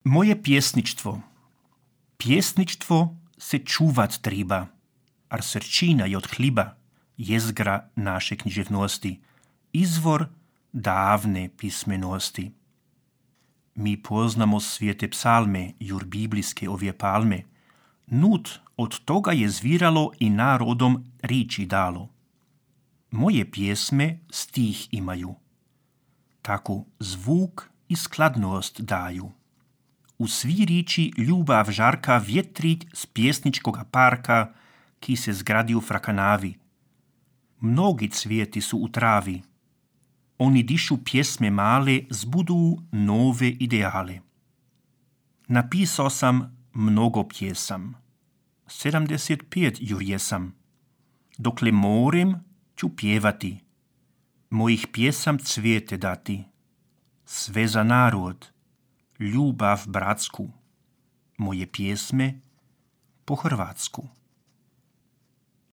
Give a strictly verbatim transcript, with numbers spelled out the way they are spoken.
Moje pjesništvo. Pjesništvo se čuvat treba, ar srčina je od hliba, jezgra naše književnosti, izvor davne pismenosti. Mi poznamo svijete psalme, jur biblijske ovje palme. Nut od toga je zviralo i narodom riči dalo. Moje pjesme stih imaju, tako zvuk i skladnost daju. U svi riči ljubav žarka vjetrić s pjesničkoga parka, ki se zgradi u Frakanavi. Mnogi cvijeti su u travi. Oni dišu pjesme male, zbudu nove ideale. Napisao sam mnogo pjesam. sedamdeset pet jur jesam. Dokle morem ću pjevati. Mojih pjesam cvijete dati. Sve za narod. Ljubav bratsku, moje pjesme po hrvatsku.